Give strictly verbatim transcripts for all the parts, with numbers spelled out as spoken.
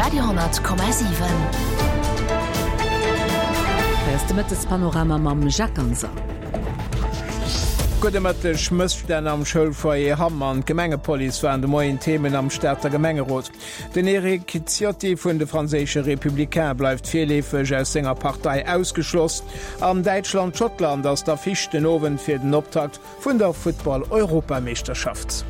Radio honnert Komma siwen. Hei ass de Mëttespanorama mam Jacques Ganser. Gudde Mëtteg, Mësstänn am Schoulfoyer Hamm an d'Gemengepolice waren de Moien Themen am Stater Gemengerot. Den Eric Ciotti vun de franséische Républicains bleift virleefeg aus senger Partei ausgeschloss. An Däitschland-Schottland ass d'Affiche den Owend fir den Optakt vun der Futtball-Europameeschterschaft.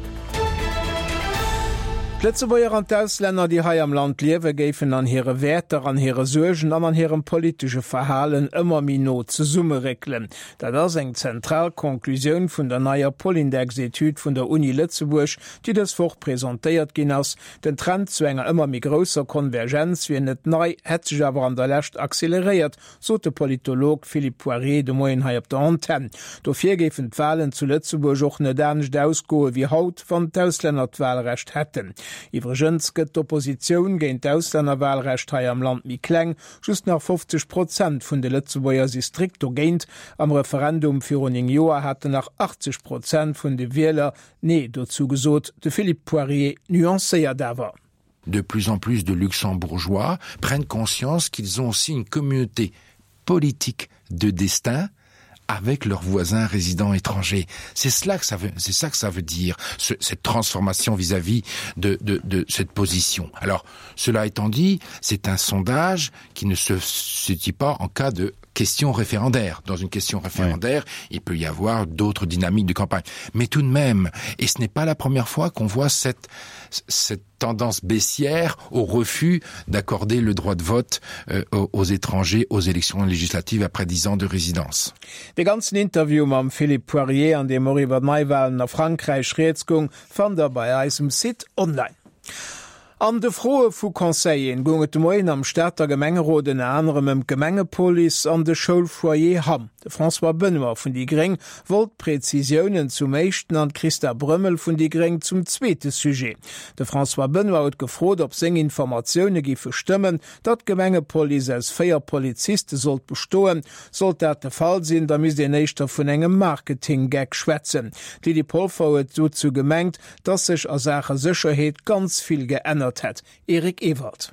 D'Lëtzebuerger an d'Auslänner, déi hei am Land liewen, géifen an hire Wäerter, an hire Suergen an an hirem politesche Verhalen ëmmer méi no zesummeréckelen. Dat ass eng zentral Conclusioun vun der neier Polindex-Etüd vun der Uni Lëtzebuerg, déi dës Woch presentéiert ginn ass. Den Trend zu enger ëmmer méi grousser Konvergenz wier net nei, hätt sech awer an der Lescht acceleréiert, sot de Politolog Philippe Poirier de Moien hei op der Antenn. Dofir géifen d'Walen zu Lëtzebuerg och net anescht ausgoe wéi haut, wann d'Auslänner d'Walrecht hätten. Iwwregens gëtt d'Oppositioun géint d'Auslännerwalrecht hei am Land méi kleng, just nach fofzeg Prozent vun de Lëtzebuerger si strikt dogéint. Am Referendum virun néng Joer haten nach achtzeg Prozent vun de Wieler Nee dozou gesot. De Philippe Poirier nuancéiert awer. De plus en plus de Luxembourgeois prennent conscience qu'ils ont aussi une communauté politique de destin avec leurs voisins résidents étrangers. C'est cela que ça veut, c'est ça que ça veut dire, ce, cette transformation vis-à-vis de, de, de cette position. Alors, cela étant dit, c'est un sondage qui ne se situe pas en cas de question référendaire. Dans une question référendaire, oui. il peut y avoir d'autres dynamiques de campagne. Mais tout de même, et ce n'est pas la première fois qu'on voit cette, cette tendance baissière au refus d'accorder le droit de vote euh, aux étrangers aux élections législatives après dix ans de résidence. De ganzen Interview mam Philippe Poirier, an deem och iwwer d'Neiwalen a Frankräich rieds goung, fannt der bei eis um Site online. An de Froe vu Conseilleren goung et de Moien am Stater Gemengerot ënner anerem ëm d'Gemengepolice an de Schoulfoyer Hamm. De François Benoy vun déi gréng wollt Prezisiounen zum éischten an d'Christa Brömmel vun déi gréng zum zweete Sujet. De François Benoy huet gefrot, ob seng Informatioune géife stëmmen, datt d'Gemengepolice aus véier Poliziste sollt bestoen. Sollt dat de Fall sinn, da misst een éischter vun engem Marketing-Gag schwätzen. D'Lydie Polfer huet dozou gemengt, datt sech a Saache Sécherheet ganz vill geännert hätt. Eric Ewald.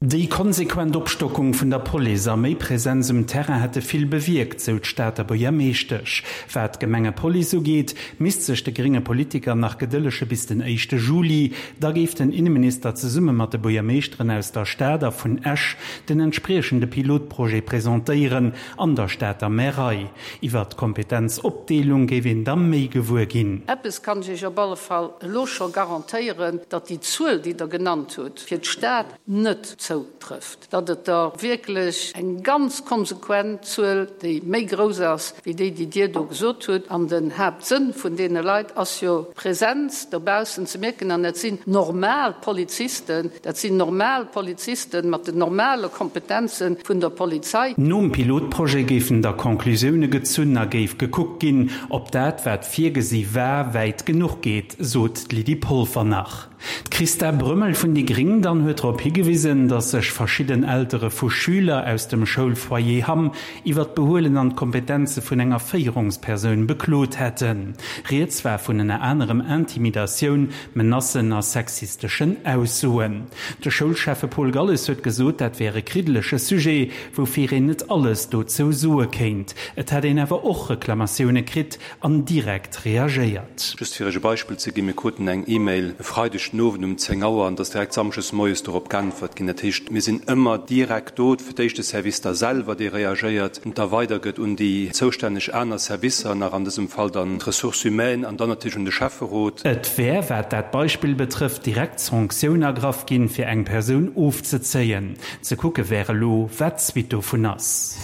Déi konsequent Opstockung vun der Police a méi Presenz um Terrain hätte vill bewierkt, sou d'Stater Buergermeeschtesch. Wat d'Gemengepolice ugeet, misst sech de grénge Politiker nach gedëllege bis den éischte Juli. Da géif den Inneminister zesumme mat de Buergermeeschteren aus der Stad a vun Esch den entspriechende Pilotprojet presentéieren an der Stater Märei. Iwwert d'Kompetenzopdeelung géif een da méi gewuer ginn. Eppes kann ech Iech op alle Fall elo scho garantéieren, datt déi Zuel, déi Der genannt hutt, fir d'Stad net zoutrëfft, datt et der wierklech eng ganz konsequent Zuel, déi méi grouss ass wéi déi, déi Dir do gesot hutt. An den Haaptsënn vun deene Leit ass jo, d'Präsenz dobaussen ze mierken. An dat sinn normal Polizisten, dat sinn normal Polizisten mat den normale Kompetenze vun der Polizei. Nom Pilotprojet géifen da Conclusioune gezunn a géif gekuckt ginn, ob dat, wat virgesi war, wäit genuch geet, sot d'Lydie Polfer nach. D'Christa Brömmel vun déi gréng dann huet drop higewisen, datt sech verschidden Eltere vu Schüler aus dem Schoulfoyer Hamm iwwer d'Behuelen an d'Kompetenze vun enger Féierungspersoun beklot hätten. Rieds war vun ënner anerem Intimidatioun, Menacen a sexisteschen Aussoen. De Schoulschäffe Paul Galles huet gesot, dat wär e kriddelege Sujet, woufir een net alles dozou soe kéint. Et hätt een awer och Reklamatioune kritt an direkt reagéiert. Just fir Iech e Beispill ze ginn, Mir kruten eng E-Mail e Freideg den Owend um zéng Auer an et ass direkt samschdes moies dorop geäntwert ginn. Dat heescht, mir sinn ëmmer direkt do, fir d'éischt de Service da selwer, dee reagéiert an da weidergëtt un déi zoustänneg aner Servicer, nach an dësem Fall dann d'Ressources humaines an dann natierlech un de Schäfferot. Et wär, wat dat Beispill betrëfft, direkt Sanktioun ergraff ginn, fir eng Persoun ofzezéien. Ze kucke wär elo, wat d'Suite dovun ass.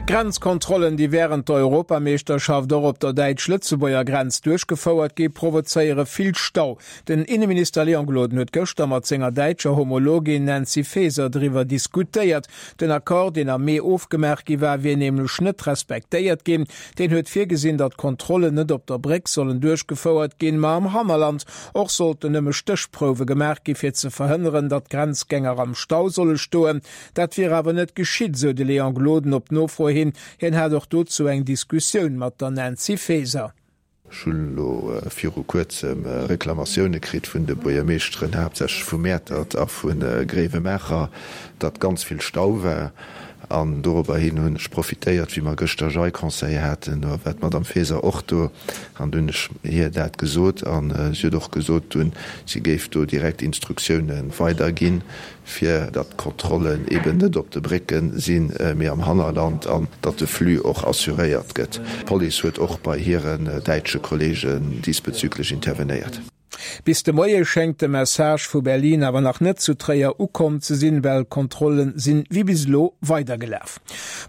Grenzkontrollen, déi wärend der Europameeschterschaft och op der däitsch-lëtzebuerger Grenz duerchgefouert gi, provozéiere vill Stau. Den Inneminister Léon Gloden huet gëschter mat senger däitscher Homologin Nancy Faeser driwwer diskutéiert. Den Accord, deen am Mee ofgemaach gi war, wier nämlech net respektéiert ginn. Deen huet virgesinn, datt d'Kontrollen net op der Bréck sollen duerchgefouert ginn, ma am Hannerland. Och sollten nëmme Stéchprouwe gemaach gi fir ze verhënneren, datt Grenzgänger am Stau solle stoen. Dat wier awer net geschitt, sou de Léon Gloden op Nofro hin. Hien hat och dozou eng Diskussioun mat der Nancy Faeser. Ech hunn elo viru Kuerzem Reklamatioune kritt vun de Buergermeeschteren, haaptsächlech vu Mäertert a vu Gréiwemaacher, datt ganz vill Stau war. An dorobber hin hunn ech profitéiert, wéi mer gëschter Jai-Conseil haten, do war d'Madame Faeser och do, an do hunn ech hir dat gesot. A si huet och gesot dunn, si géif do direkt Instruktioune weiderginn, fir datt d'Kontrollen eben net op de Brécke sinn, mee am Hannerland, an datt de Flux och assuréiert gëtt. D'Police huet och bei hiren däitsche Kollegen diesbezüglech intervenéiert. Bis de Moie schéngt de Message vu Berlin awer nach net zu Tréier ukomm ze sinn, well d'Kontrolle sinn wéi bis elo weidergelaf.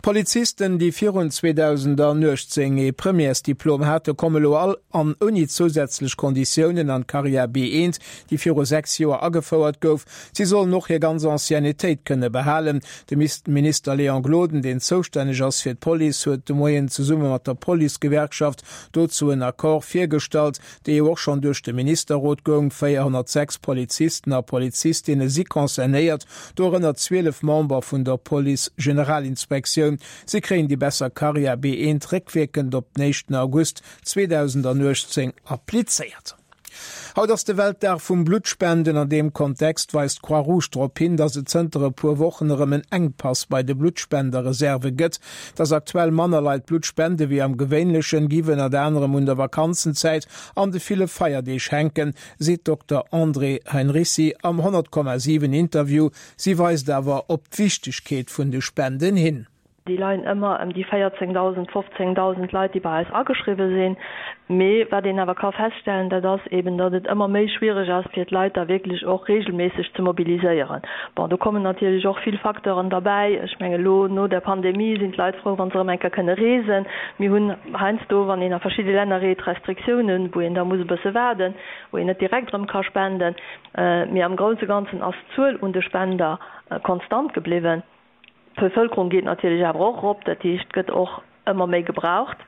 Polizisten, déi virun zweedausendanuechtzéng ee Premièresdiplom hate, komme lo all an ouni zousätzlech Konditiounen an d'Carrière B eent, déi viru sechs Joer agefouert gouf. Si sollen och hir ganz Anciennetéit kënne behalen. De Minister Léon Gloden, deen zoustänneg ass fir d'Police, huet de Moien zesumme mat der Policegewerkschaft dozou en Accord virgestallt, dee jo och schonn duerch de Ministerrot goung. véierhonnertsechs Polizisten a Polizistinne si concernéiert, dorënner zwielef Member vun der Police-Generalinspektioun. Si kréien déi besser Carrière B eent réckwierkend op den éischten August zweedausendanuechtzéng applizéiert. Haut ass de Weltdag vum Bluttspenden. An deem Kontext weist d'Croix-Rouge drop hin, datt et zënter e puer Wochen erëm en Enkpass bei de Bluttspenderreserve gëtt. Datt aktuell manner Leit Blutt spende wéi am Gewéinlechen, giff ënnert anerem un der Vakanzenzäit an de ville Feierdeeg hänken, seet d'Dokter Andrée Heinricy am honnert Komma siwen Interview. Si weist awer op d'Wichtegkeet vun de Spenden hin. Déi leien ëmmer ëm déi véierzéngdausend, fofzéngdausend Leit, déi bei eis ageschriwwe sinn. Mee wat een awer ka feststellen, dat ass eeben, datt et ëmmer méi schwiereg ass, fir d'Leit da wierklech och reegelméisseg ze mobiliséieren. Bon, do kommen natierlech och vill Facteuren derbäi. Ech mengen, elo no der Pandemie sinn d'Leit frou, wa se erëm eng Kéier kënne reesen. Mir hunn heiansdo, wann een a verschidde Länner reet, Restriktiounen, wou een da muss e bësse waarden, wou een net direkt erëm ka spenden. Mee am grousse Ganzen ass d'Zuel un de Spender konstant gebliwwen. D'Bevëlkerung geet natierlech awer och erop, dat heescht, et gëtt och ëmmer méi gebraucht.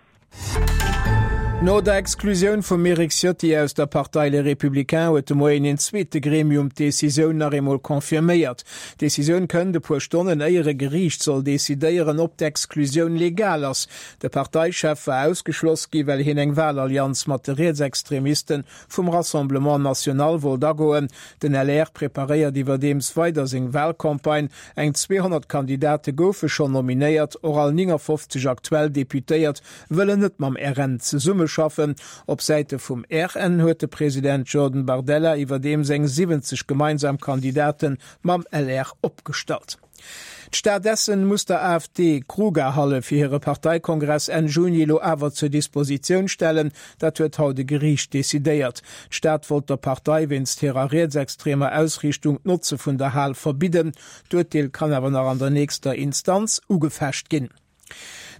No der Exklusioun vum Eric Ciotti aus der Partei Les Républicains huet de Moien een zweete Gremium d'Decisioun nach eemol confirméiert. D'Decisioun kënnt e puer Stonnen éier e Geriicht soll decidéieren, ob d'Exklusioun legal ass. De Parteichef war ausgeschloss gi well hien eng Wahlallianz mat de Rietsextremiste vum Rassemblement National wollt agoen. Den L R preparéiert iwwerdeems weider seng Wahlcampagne. Eng zweehonnert Kandidate goufe schonn nominéiert, och all néngafofzeg aktuell Deputéiert wëllen net mam R N zesummeschaffen. Op Säite vum R N huet de President Jordan Bardella iwwerdeems eng siwwenzeg gemeinsam Kandidate mam L R opgestallt. D'Stad Essen muss der A F D d'Grugahalle fir hire Parteikongress Enn Juni elo awer zur Dispositioun stellen. Dat huet haut e Geriicht decidéiert. D'Stad wollt der Partei wéinst hirer rietsextremer Ausriichtung d'Notze vun der Hal verbidden. D'Urteel kann awer nach an der nächster Instanz ugefecht ginn.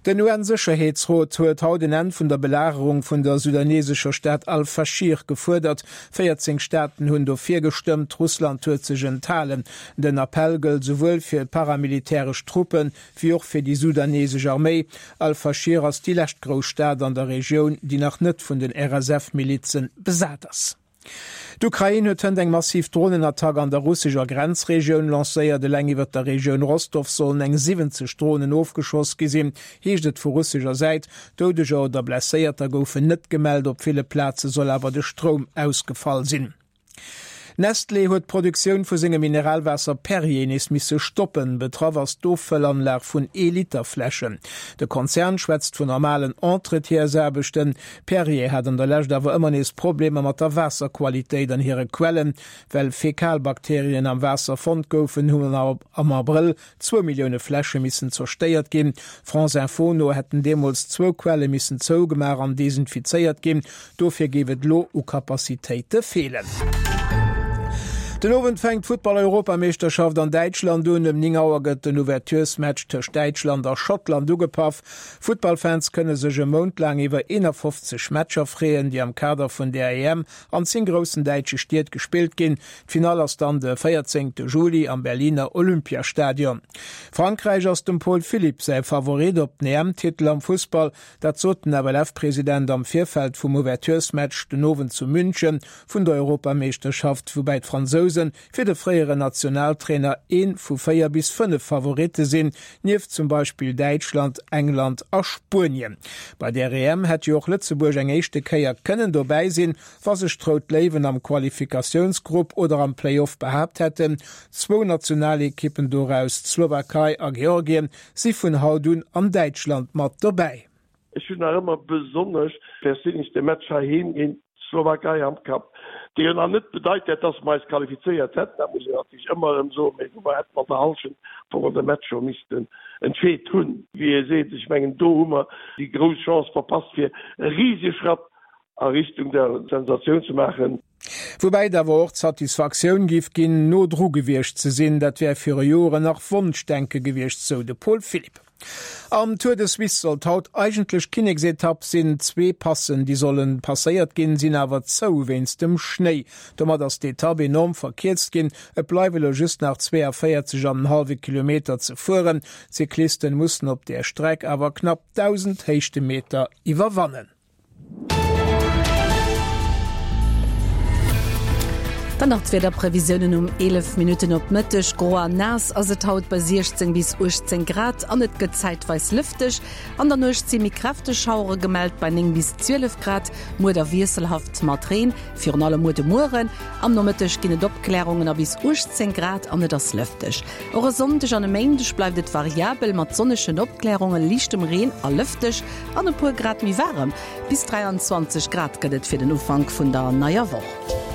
Den U N-Sécherheetsrot huet haut en Enn vun der Belagerung vun der sudanesescher Stad Al-Faschir gefuerdert. véierzéng Staaten hunn dofir gestëmmt, Russland huet sech enthalen. Den Appell gëllt souwuel fir paramilitäresch Truppen, wéi och fir déi sudanesesch Arméi. Al-Faschir ass déi lescht grouss Stad an der Regioun, déi nach net vun den R S F-Milizen besat ass. D'Ukrain huet hënt eng massiv Dronenattack an der russescher Grenzregioun lancéiert. Eleng iwwer der Regioun Rostov sollen eng siwwenzeg Dronen ofgeschoss gi sinn, heescht et vu russescher Säit. Doudeger oder Blesséierter goufen net gemellt, op ville Plaze soll awer de Stroum ausgefall sinn. Nestlé huet d'Produktioun vu sengem Mineralwaasser Perrier nees misse stoppen. Betraff ass d'Offëllanlag vun Ee-Liter-Fläschen. De Konzern schwätzt vun normalen Entretiensaarbechten. Perrier hat an der Lescht awer ëmmer nees Problemer mat der Waasserqualitéit an hire Quellen. Well Fäkalbakterien am Waasser fonnt goufen, hunn am Abrëll zwou Millioune Fläsche missen zerstéiert ginn. France Info no hätten deemools zwou Quelle missen zougemaach an desinfizéiert ginn. Dofir géif et elo u Capacitéite feelen. Den Owend fänkt d'Futtball-Europameeschterschaft an Däitschland un. Ëm néng Auer gëtt den Ouverturesmatch tëscht Däitschland a Schottland ugepaff. Futtballfans kënne sech e Mount laang iwwer eenafofzeg Matcher freeën, déi am Kader vun der E M an zéng groussen däitsche Stied gespillt ginn. D'Finall ass dann de véierzéngte Juli am Berliner Olympiastadion. Frankräich ass dem Paul Philipp säi Favorit op den E M-Titel am Fussball. Dat sot den F L F-President am Virfeld vum Ouverturesmatch den Owend zu München vun der Europameeschterschaft, woubäi d'Fransousen d'Fransousen fir de fréieren Nationaltrainer ee vu véier bis fënnef Favoritte sinn, nieft zum Beispill Däitschland, England a Spuenien. Bei där EM hätt jo och Lëtzebuerg eng éischte Kéier kënnen dobäi sinn, wa sech d'Rout Léiwen am Qualifikatiounsgrupp oder am Play-Off behaapt hätten. Zwou Nationalekippen doraus, d'Slowakei a Georgien, si vun haut un an Däitschland mat dobäi. Ech hunn nach ëmmer besonnesch perséinlech de Match heiheem géint d'Slowakei am Kapp, dee jo nach net bedeit hätt, dass mer eis qualifizéiert hätten, dat muss een natierlech ëmmer erëm soen, mee wou mer hätten an der Hallschent am Fong de Match scho missten entscheet hunn, wéi ee seet. Ech mengen, do hu mer déi grouss Chance verpasst, fir e risege Schratt a Richtung der Sensatioun ze maachen. Woubäi et awer och d'Satisfaktioun géif ginn, no dru gewiescht ze sinn. Dat wär viru Joren nach Wonschdenke gewiescht, sou de Paul Philipp. Am Tour de Suisse sollt haut eigentlech Kinneksetapp sinn. Zwee Passen, déi sollen passéiert ginn, sinn awer zou wéinst dem Schnéi. Domat ass d'Etapp enorm verkierzt ginn. Et bleiwe lo just nach zweeënvéierzeg an en hallwe Kilometer ze fueren. D'Cyclisten mussen op där Streck awer knapp dausend Héichtemeter iwwerwannen. Dann nach d'Wiederprevisiounen um eelef Minutten op Mëtteg, Gro an naass ass et haut bei siechzéng bis uechtzéng Grad an et gëtt zäitweis lëfteg. An der Nuecht si méi kräfteg Schauere gemellt bei néng bis zwielef Grad. Muer da wiesselhaft mat Reen, virun allem muer de Mueren. Am Nomëtteg ginn et Opklärungen a bis uechtzéng Grad an et ass lëfteg. Och e Sonndeg an e Méindeg bleift et variabel mat sonnegen Opklärungen, liichtem Reen a lëfteg an e puer Grad méi waarem. Bis dräianzwanzeg Grad gëtt et fir den Ufank vun der neier Woch.